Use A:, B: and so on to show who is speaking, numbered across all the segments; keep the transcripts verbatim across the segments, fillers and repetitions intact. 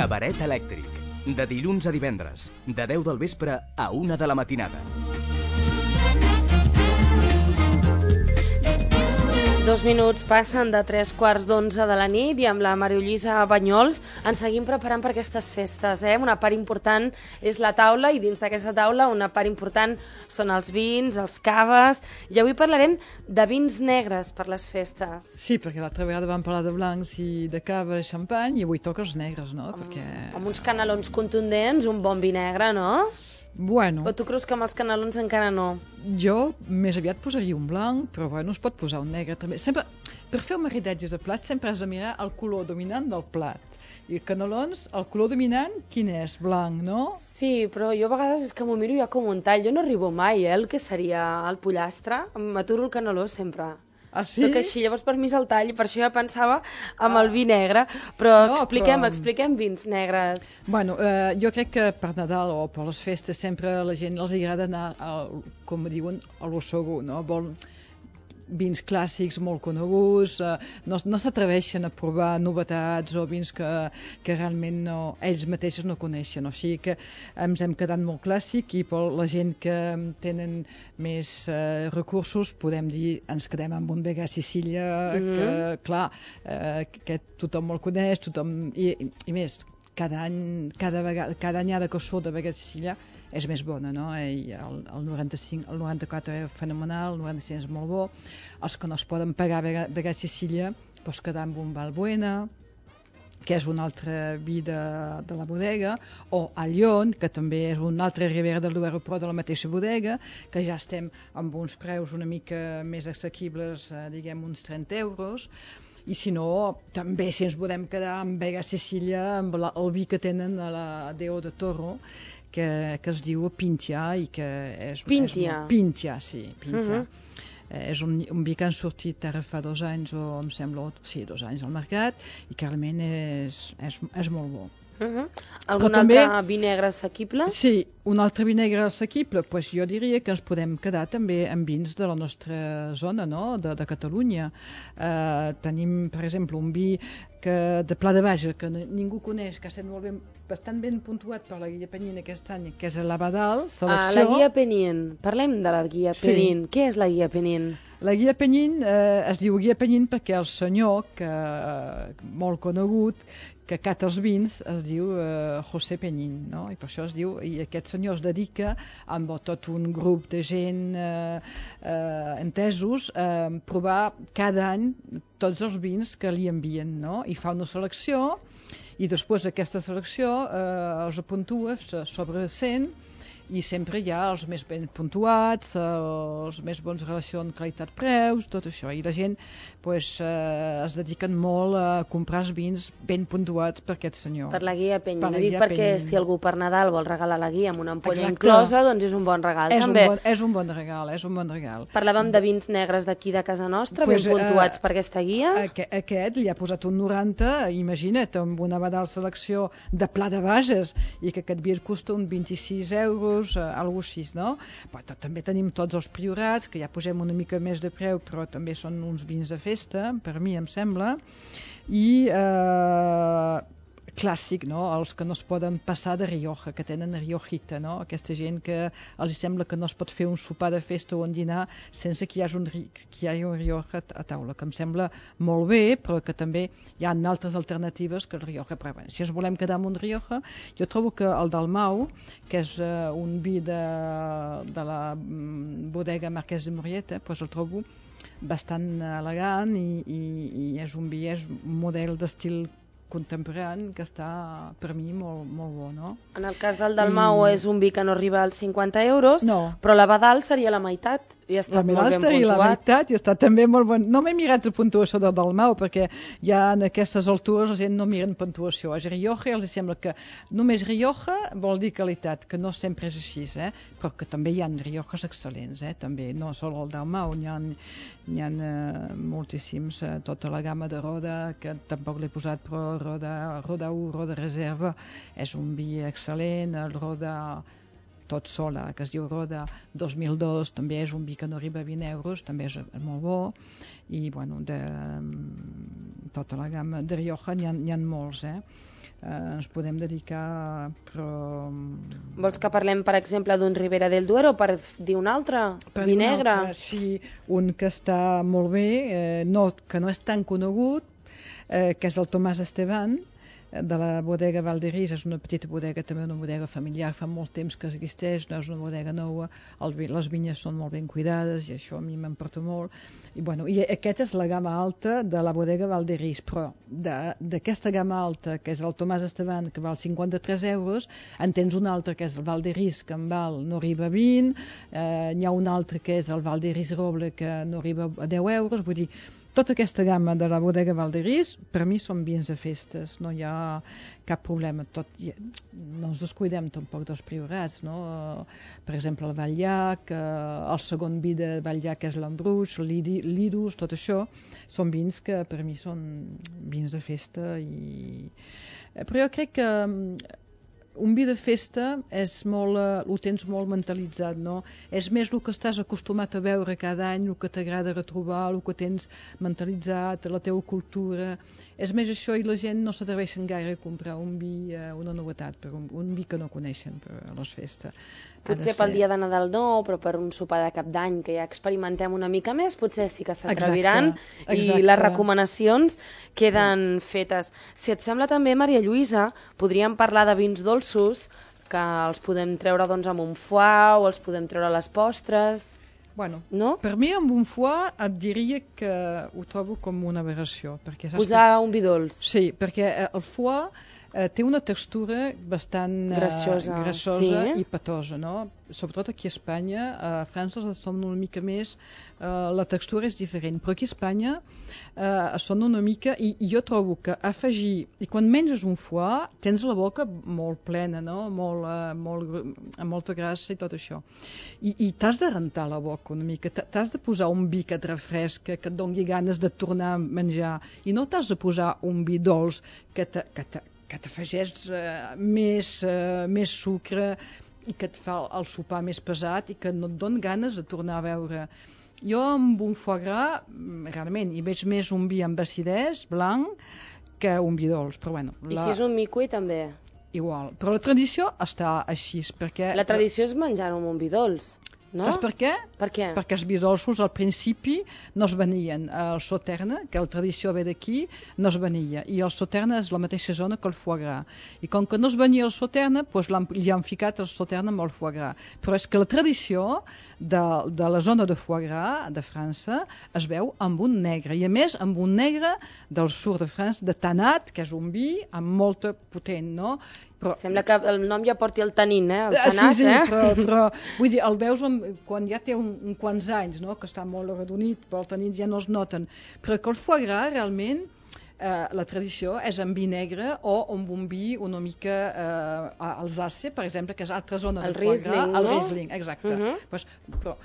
A: Cabaret elèctric. De dilluns a divendres, de deu del vespre a una de la matinada.
B: Dos minuts passen de tres quarts d'onze de la nit i amb la Maria Lluïsa Banyols ens seguim preparant per aquestes festes. Eh? Una part important és la taula i dins d'aquesta taula una part important són els vins, els caves, i avui parlarem de vins negres per les festes.
C: Sí, perquè l'altra vegada vam parlar de blancs i de cava i xampany i avui toca els negres, no?
B: Amb,
C: perquè...
B: amb uns canelons contundents, un bon vi negre, no?
C: Bueno...
B: O tu creus que amb els canelons encara no?
C: Jo més aviat posaria un blanc, però bueno, es pot posar un negre també. Sempre, per fer un maridatge de plat sempre has de mirar el color dominant del plat. I canelons, el color dominant, quin és? Blanc, no?
B: Sí, però jo a vegades és que m'ho miro ja com un tall. Jo no arribo mai, eh, el que seria el pollastre. M'aturo el caneló sempre.
C: Ah, sí?
B: Soc així, llavors per mi és el tall, per això ja pensava amb el vi negre. Però
C: no,
B: expliquem,
C: però...
B: expliquem vins negres.
C: Bueno, eh, jo crec que per Nadal o per les festes sempre a la gent els agrada anar, al, com diuen, a lo segur, no? Vol vins clàssics molt coneguts, eh, no, no s'atreveixen a provar novetats o vins que, que realment no, ells mateixos no coneixen, o sigui que ens hem quedat molt clàssic i per la gent que tenen més eh, recursos podem dir, ens quedem amb un Vega Sicília mm-hmm. que clar, eh, que tothom el coneix, tothom, i, i més cada any, cada vegada, cada anyada que surt de Vega Sicília és més bona, no? I el, el noranta-cinc, el noranta-quatre és fenomenal, el noranta-cinc és molt bo. Els que no es poden pagar Vega, Vega Sicília pots quedar amb un Valbuena, que és un altre vi de, de la bodega, o a Lyon, que també és un altre Ribera del Duero, però de la mateixa bodega, que ja estem amb uns preus una mica més assequibles, eh, diguem uns trenta euros. I si no, també si ens podem quedar amb Vega Sicília, amb la, el vi que tenen a la Deo de Toro, que, que es diu Pintia i que és...
B: Pintia?
C: És, Pintia, sí, Pintia.
B: Uh-huh.
C: Eh, és un, un vi que han sortit ara fa dos anys, o em sembla, sí, dos anys al mercat, i que realment és, és, és molt bo.
B: Uh-huh. Algun altre també, vi negre assequible?
C: Sí, un altre vi negre assequible, pues jo diria que ens podem quedar també amb vins de la nostra zona, no? de, de Catalunya. Uh, tenim, per exemple, un vi que, de Pla de Baja, que ningú coneix, que ha estat molt ben, bastant ben puntuat per la Guia Penin aquest any, que és l'Abadal, selecció.
B: Ah, la Guia Penin. Parlem de la Guia Penin. Sí. Què és la Guia Penin?
C: La Guia Penin eh, es diu Guia Penin perquè el senyor, que eh, molt conegut, que cata els vins, es diu eh, José Penin, no? I per això es diu, i aquest senyor es dedica amb tot un grup de gent eh, eh, entesos a eh, provar cada any tots els vins que li envien, no? I fa una selecció i després d'aquesta selecció eh, els puntua sobre cent i sempre hi ha els més ben puntuats, els més bons relacions qualitat-preus, tot això. I la gent pues, eh, es dediquen molt a comprar els vins ben puntuats per aquest senyor.
B: Per la Guia Penin.
C: Per la
B: Dic
C: Guia
B: perquè
C: Penin.
B: Si algú per Nadal vol regalar la guia amb una ampolla
C: Exacte.
B: Inclosa, doncs és un bon regal.
C: És
B: també.
C: Un bon, és un bon regal, és un bon regal.
B: Parlàvem de vins negres d'aquí de casa nostra,
C: pues,
B: ben puntuats
C: eh,
B: per aquesta guia.
C: Aquest, aquest li ha posat un noranta, imagina't, amb una Abadal selecció de Pla de Bages, i que aquest vi costa un vint-i-sis euros, eh, alguna cosa així, no? Però tot, també tenim tots els priorats, que ja posem una mica més de preu, però també són uns vins de festa, per mi em sembla, i eh, clàssic, no? Els que no es poden passar de Rioja, que tenen Riojita, no? Aquesta gent que els sembla que no es pot fer un sopar de festa o un dinar sense que hi hagi un, que hi hagi un Rioja a taula, que em sembla molt bé, però que també hi ha altres alternatives que el Rioja. Però bé, si ens volem quedar amb un Rioja, jo trobo que el Dalmau, que és uh, un vi de, de la mm, bodega Marquès de Murieta, pues el trobo bastant elegant i, i, i és un vi, és un model d'estil contemporani que està per mi molt, molt bo, no?
B: En el cas del Dalmau I... és un vi que no arriba als cinquanta euros,
C: no.
B: Però l'Abadal seria la meitat i està molt ben puntuat.
C: La meitat i està també molt bon. No m'he mirat la puntuació del Dalmau perquè ja en aquestes altures la gent no miren puntuació. A Rioja els sembla que només Rioja vol dir qualitat, que no sempre és així, eh? Però que també hi ha Riojas excel·lents, eh? També, no sol el Dalmau, n'hi ha, n'hi ha eh, moltíssims, eh, tota la gamma de Roda, que tampoc l'he posat, però Roda, Roda u, Roda Reserva, és un vi excel·lent, el Roda tot sola, que es diu Roda dos mil dos, també és un vi que no arriba a vint euros, també és molt bo, i bueno, de tota la gamma de Rioja n'hi ha, n'hi ha molts, eh? eh, ens podem dedicar, però...
B: Vols que parlem, per exemple, d'un Ribera del Duero per dir un altre?
C: Per
B: Vi
C: un
B: negre?
C: altre, sí, un que està molt bé, eh, no, que no és tan conegut, eh, que és el Tomàs Esteban, de la bodega Valderis. És una petita bodega, també una bodega familiar, fa molt temps que existeix, no és una bodega nova, el, les vinyes són molt ben cuidades i això a mi m'emporta molt. I, bueno, i aquesta és la gamma alta de la bodega Valderis, però d'aquesta gamma alta, que és el Tomàs Esteban, que val cinquanta-tres euros, en tens un altre que és el Valderis, que en val no arriba a vint, eh, n'hi ha un altre que és el Valderis Roble, que no arriba a deu euros, vull dir, tota aquesta gamma de la bodega Valderis, per mi són vins de festes, no hi ha cap problema. Tot, no ens descuidem tampoc dels priorats, no? Per exemple, el Batllac, el segon vi de Batllac és l'Embruix, l'Idus, tot això, són vins que per mi són vins de festa. I... Però jo crec que un vi de festa és molt, ho tens molt mentalitzat, no? És més el que estàs acostumat a veure cada any, el que t'agrada retrobar, el que tens mentalitzat, la teva cultura. És més això, i la gent no s'atreveixen gaire a comprar un vi, una novetat, per un, un vi que no coneixen per a les festes.
B: Potser pel dia de Nadal no, però per un sopar de cap d'any que ja experimentem una mica més, potser sí que s'atreviran i les recomanacions queden fetes. Si et sembla també, Maria Lluïsa, podríem parlar de vins dolços, que els podem treure doncs, amb un foie o els podem treure a les postres.
C: Bueno,
B: no?
C: Per mi amb un foie et diria que ho trobo com una aberració.
B: Posar que... un vi dolç.
C: Sí, perquè el foie eh, té una textura bastant
B: graciosa,
C: eh, grassosa
B: sí.
C: i petosa, no? Sobretot aquí a Espanya, a França els som una mica més, eh, la textura és diferent, però aquí a Espanya eh, són una mica, i, i jo trobo que afegir, i quan menges un foie tens la boca molt plena, no? Molt, eh, molt, amb molta grassa i tot això, i, i t'has de rentar la boca una mica, t'has de posar un vi que et refresca, que et doni ganes de tornar a menjar, i no t'has de posar un vi dolç que t'afegeix eh, més, eh, més sucre i que et fa el sopar més pesat i que no et don ganes de tornar a veure. Jo amb un foie gras, realment, hi veig més un vi amb acidès, blanc, que un vi dolç. Però bueno,
B: I la... si és un miqui també?
C: Igual, però la tradició està així, perquè...
B: La tradició és menjar-ho amb un vi dolç. No?
C: Saps per què?
B: Per què?
C: Perquè els vi dolços al principi no es venien. El Sauternes, que la tradició ve d'aquí, no es venia. I el Sauternes és la mateixa zona que el foie gras. I com que no es venia el Sauternes, doncs li han ficat el Sauternes amb el foie gras. Però és que la tradició de, de la zona de foie gras de França es veu amb un negre. I a més amb un negre del sud de França, de Tanat, que és un vi amb molta potent, no?
B: Però... Sembla que el nom ja porti el tanin, eh? El tanat,
C: sí, sí,
B: eh?
C: però, però vull dir, el veus amb, quan ja té un, un quants anys, no? Que està molt arredonit, però els tanins ja no es noten. Però que el foie gras, realment, eh, la tradició és amb vi negre o amb un vi una mica eh, Alsàcia, per exemple, que és altra zona
B: el
C: de foie
B: Riesling,
C: gras.
B: No?
C: El Riesling, exacte. Uh -huh. pues, però,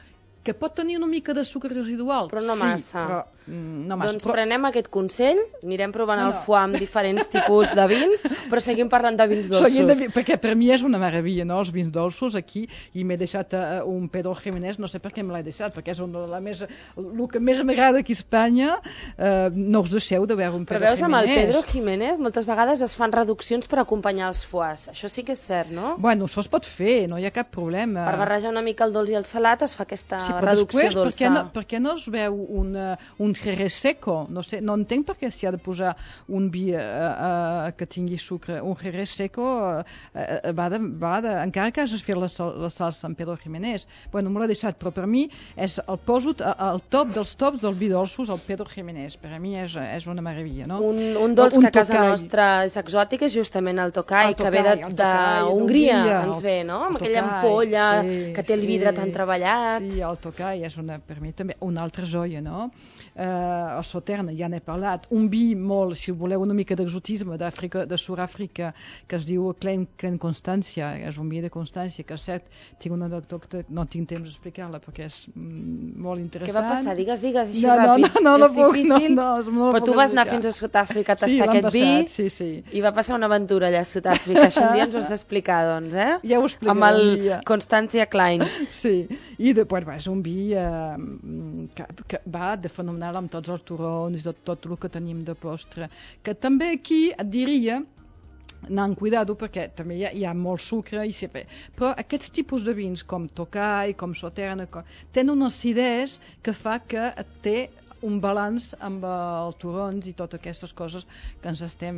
C: que pot tenir una mica de sucre residual.
B: Però no
C: sí,
B: massa.
C: Però, mm, no massa.
B: Doncs
C: però...
B: prenem aquest consell, anirem provant
C: no, no.
B: el foie amb diferents tipus de vins, però seguim parlant de vins dolços.
C: De vi, perquè per mi és una meravella, no?, els vins dolços aquí, i m'he deixat uh, un Pedro Jiménez, no sé per què me l'he deixat, perquè és una de la més, el que més m'agrada aquí a Espanya, uh, no us deixeu de veure un Pedro
B: Jiménez. Però veus,
C: Jiménez.
B: Amb el Pedro Jiménez moltes vegades es fan reduccions per acompanyar els foies, això sí que és cert, no?
C: Bueno, això es pot fer, no hi ha cap problema.
B: Per barrejar una mica el dolç i el salat es fa aquesta
C: sí,
B: reducció
C: després,
B: dolça.
C: Per què, no, per què no es veu un, uh, un Jerez seco? No sé, no entenc per què s'hi ha de posar un vi uh, uh, que tingui sucre. Un Jerez seco uh, uh, va, de, va de... Encara que hagis fet la, la salsa amb Pedro Jiménez. Bueno, me l'he deixat, però per mi és el poso al top dels tops del vi dolços, el Pedro Jiménez. Per a mi és, és una meravella, no?
B: Un, un dolç un que a casa tocai. Nostra és exòtic és justament el tocai, el tocai que ve d'Hongria, ens ve, no? Amb aquella ampolla sí, que té el vidre sí, tan treballat.
C: Sí, el tocai és una, per mi també una altra joia, no? Uh, el Sauternes, ja n'he parlat, un vi molt, si voleu una mica d'exotisme d'Àfrica, de Sud-àfrica, que es diu Klein, Klein Constància, és un vi de Constància, que és cert, tinc una doctora, no tinc temps d'explicar-la perquè és mm, molt interessant.
B: Què va passar? Digues, digues, així
C: no,
B: ràpid.
C: No, no, no,
B: és
C: no
B: difícil,
C: no, no, no
B: però tu vas anar fins a Sud-àfrica a tastar
C: sí,
B: aquest
C: passat,
B: vi
C: sí, sí.
B: I va passar una aventura allà a Sud-àfrica, això un dia ens ho has d'explicar, doncs, eh?
C: Ja ho explicaré.
B: Amb el ja. Constància Klein.
C: Sí, i després va, és un vi eh, que, que va de fenomenal amb tots els turrons i tot, tot el que tenim de postre, que també aquí et diria anar amb cuidado perquè també hi ha, hi ha molt sucre i sempre. Però aquests tipus de vins com Tokaj, com Sauternes com... tenen una acidesa que fa que té un balanç amb els torrons i totes aquestes coses que ens estem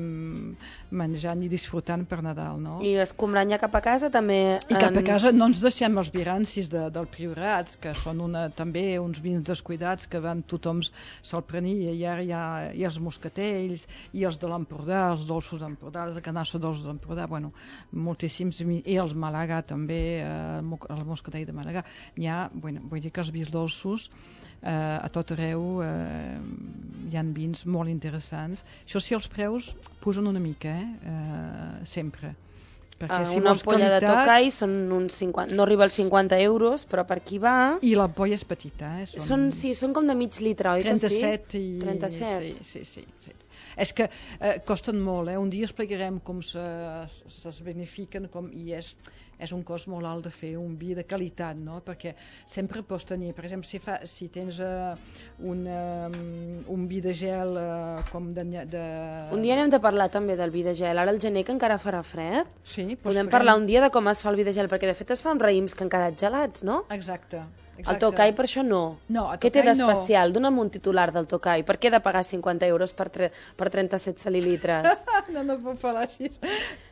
C: menjant i disfrutant per Nadal, no?
B: I escombrant ja cap a casa també...
C: I cap a casa no ens deixem els virancis de, del Priorat, que són una, també uns vins descuidats que van tothom se'l prenia, i ara hi ha, hi ha els moscatells i els de l'Empordà, els dolços d'Empordà, els de canassa dolços d'Empordà, bueno, moltíssims, i els Màlaga també, eh, el moscatell de Màlaga. Hi ha, bueno, vull dir que els vins dolços eh, a tot arreu eh, hi ha vins molt interessants. Això sí, els preus pugen una mica, eh? Eh, sempre.
B: Uh, si una ampolla qualitat... de Tokaj són uns cinquanta, no arriba als cinquanta euros, però per aquí va...
C: I l'ampolla és petita, eh?
B: Són... Són, sí, són com de mig litre, oi
C: trenta-set
B: que sí?
C: I...
B: trenta-set.
C: Sí, sí, sí, sí. És que eh, costen molt, eh? Un dia explicarem com se, se benefiquen com, i és, és un cost molt alt de fer un vi de qualitat, no? Perquè sempre pots tenir, per exemple, si, fa, si tens uh, un, um, un vi de gel uh, com de, de...
B: Un dia anem de parlar també del vi de gel, ara al gener que encara farà fred,
C: sí,
B: podem
C: farem...
B: parlar un dia de com es fa el vi de gel, perquè de fet es fa amb raïms que han quedat gelats, no?
C: Exacte. Exacte.
B: El Tokaj per això no.
C: No,
B: què té d'especial?
C: No.
B: Dona'm un titular del Tokaj. Per què he de pagar cinquanta euros per, tre... per trenta-set centilitres?
C: no, no puc parlar així.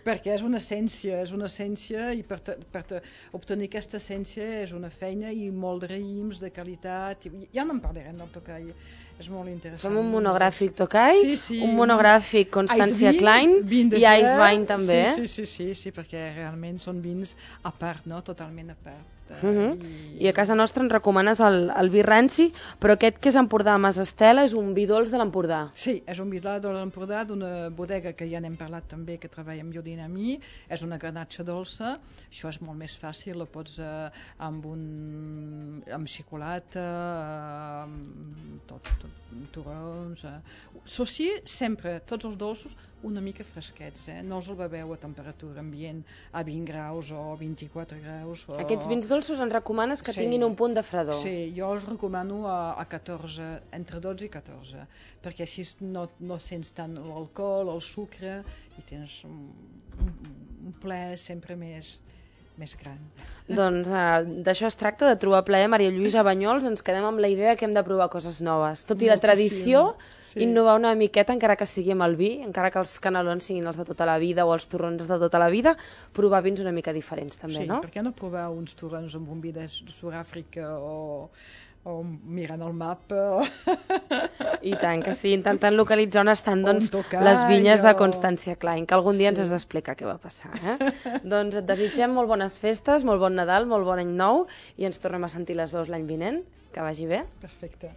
C: Perquè és una essència, és una essència i per, te, per te, obtenir aquesta essència és una feina i molt de raïms, de qualitat. I, ja no en parlarem del Tokaj. És molt interessant.
B: Fem un monogràfic Tokaj,
C: sí, sí.
B: un monogràfic Constància Klein i Ice Wine també.
C: Sí, sí, sí, sí, sí, perquè realment són vins a part, no? Totalment a part.
B: Uh -huh. I... I a casa nostra ens recomanes el, el vi ranci, però aquest que és Empordà Mas Estela és un vi dolç de l'Empordà.
C: Sí, és un vi dolç de l'Empordà d'una bodega que ja n'hem parlat també, que treballa amb Biodinamí, és una granatxa dolça, això és molt més fàcil, la pots eh, amb un amb xocolata, eh, amb tot, tot, torrons... Eh. Això sí, sempre, tots els dolços una mica fresquets, eh? No els el beveu a temperatura ambient a vint graus o vint-i-quatre graus. O...
B: Aquests vins dolços ens recomanes que
C: sí.
B: tinguin un punt de fredor.
C: Sí, jo els recomano a, a catorze, entre dotze i catorze, perquè així no, no sents tant l'alcohol, el sucre, i tens un, un, un ple sempre més... més gran.
B: Doncs uh, d'això es tracta, de trobar plaer. Maria Lluïsa Banyols, ens quedem amb la idea que hem de provar coses noves. Tot i la tradició, sí. Innovar una miqueta, encara que sigui amb el vi, encara que els canelons siguin els de tota la vida o els torrons de tota la vida, provar vins una mica diferents també,
C: sí,
B: no?
C: Sí, per què no provar uns torrons amb un vi de Sud-àfrica o... o mirant el mapa.
B: I tant, que sí, intentant localitzar on estan doncs,
C: Tokaj,
B: les vinyes de
C: o...
B: Constància Klein, que algun dia sí. ens has d'explicar què va passar. Eh? Doncs et desitgem molt bones festes, molt bon Nadal, molt bon any nou, i ens tornem a sentir les veus l'any vinent. Que vagi bé.
C: Perfecte.